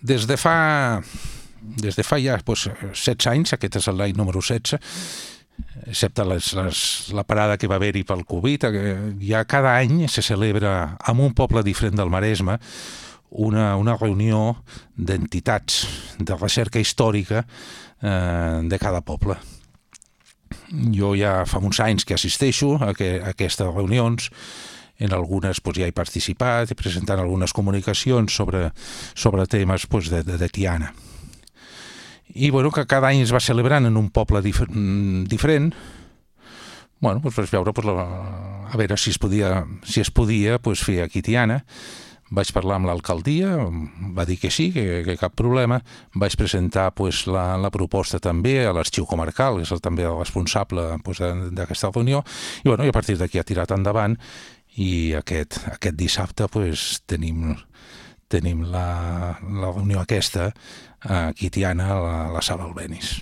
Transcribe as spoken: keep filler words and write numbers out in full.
des de fa, des de fa ja doncs, setze anys, aquest és l'any número setze, excepte les, les, la parada que va haver-hi pel Covid, ja cada any se celebra en un poble diferent del Maresme una, una reunió d'entitats de recerca històrica eh, de cada poble. Jo ja fa uns anys que assisteixo a, que, a aquestes reunions. En algunes doncs, ja he participat, he presentat algunes comunicacions sobre, sobre temes doncs, de, de, de Tiana. I bueno, que cada any es va celebrant en un poble dif diferent, bueno, doncs, per veure, doncs, la, a veure si es podia, si es podia doncs, fer aquí Tiana. Vaig parlar amb l'alcaldia, va dir que sí, que, que cap problema. Vaig presentar pues, la, la proposta també a l'arxiu comarcal, que és el, també el responsable pues, d'aquesta reunió, i, bueno, i a partir d'aquí ha tirat endavant, i aquest, aquest dissabte pues, tenim, tenim la, la reunió aquesta aquí a Tiana, a la, a la sala Albéniz.